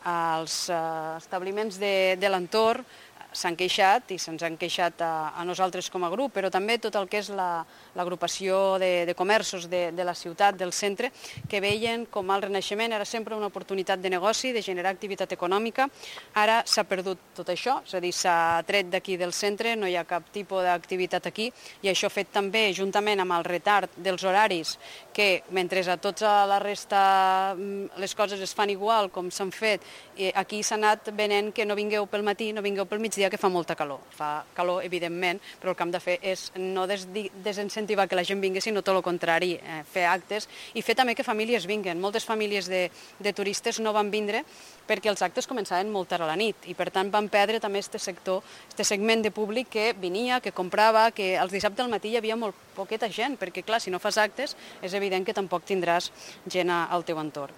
Els establiments de l'entorn s'han queixat i se'ns han queixat a nosaltres com a grup, però també tot el que és l'agrupació de comerços de la ciutat, del centre, que veien com el Renaixement era sempre una oportunitat de negoci, de generar activitat econòmica. Ara s'ha perdut tot això, és a dir, s'ha tret d'aquí del centre, no hi ha cap tipus d'activitat aquí, i això fet també, juntament amb el retard dels horaris, que mentre a tota la resta les coses es fan igual com s'han fet, aquí s'ha anat venent que no vingueu pel matí, no vingueu pel migdia, que fa molta calor. Fa calor, evidentment, però el que hem de fer és no desincentivar que la gent vingui, sinó tot el contrari, fer actes i fer també que famílies vinguen. Moltes famílies de turistes no van vindre perquè els actes començaven molt tard a la nit i, per tant, van perdre també aquest sector, aquest segment de públic que venia, que comprava, que els dissabtes al matí hi havia molt poqueta gent, perquè, clar, si no fas actes, és evident que tampoc tindràs gent al teu entorn.